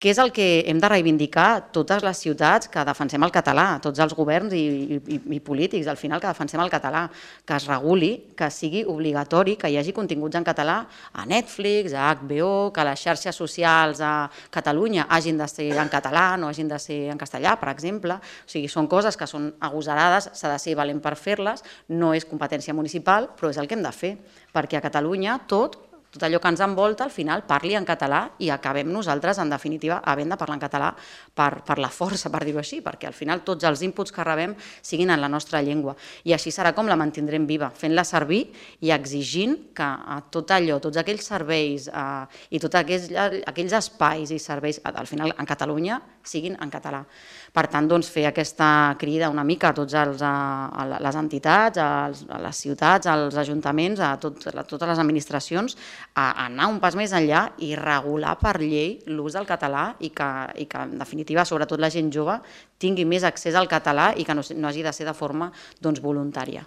Què és el que hem de reivindicar totes les ciutats que defensem el català, tots els governs i polítics, al final que defensem el català, que es reguli, que sigui obligatori, que hi hagi continguts en català a Netflix, a HBO, que les xarxes socials a Catalunya hagin de ser en català, no hagin de ser en castellà, per exemple. O sigui, són coses que són agosarades, s'ha de ser valent per fer-les, no és competència municipal, però és el que hem de fer, perquè a Catalunya tot allò que ens envolta, al final parli en català i acabem nosaltres, en definitiva, havent de parlar en català per la força, per dir-ho així, perquè al final tots els inputs que rebem siguin en la nostra llengua. I així serà com la mantindrem viva, fent-la servir i exigint que tot allò, tots aquells serveis i tots aquells espais i serveis, al final en Catalunya, siguin en català. Per tant, fer aquesta crida una mica a totes les entitats, a les ciutats, als ajuntaments, a totes les administracions, a anar un pas més enllà i regular per llei l'ús del català i que, en definitiva, sobretot la gent jove, tingui més accés al català i que no hagi de ser de forma voluntària.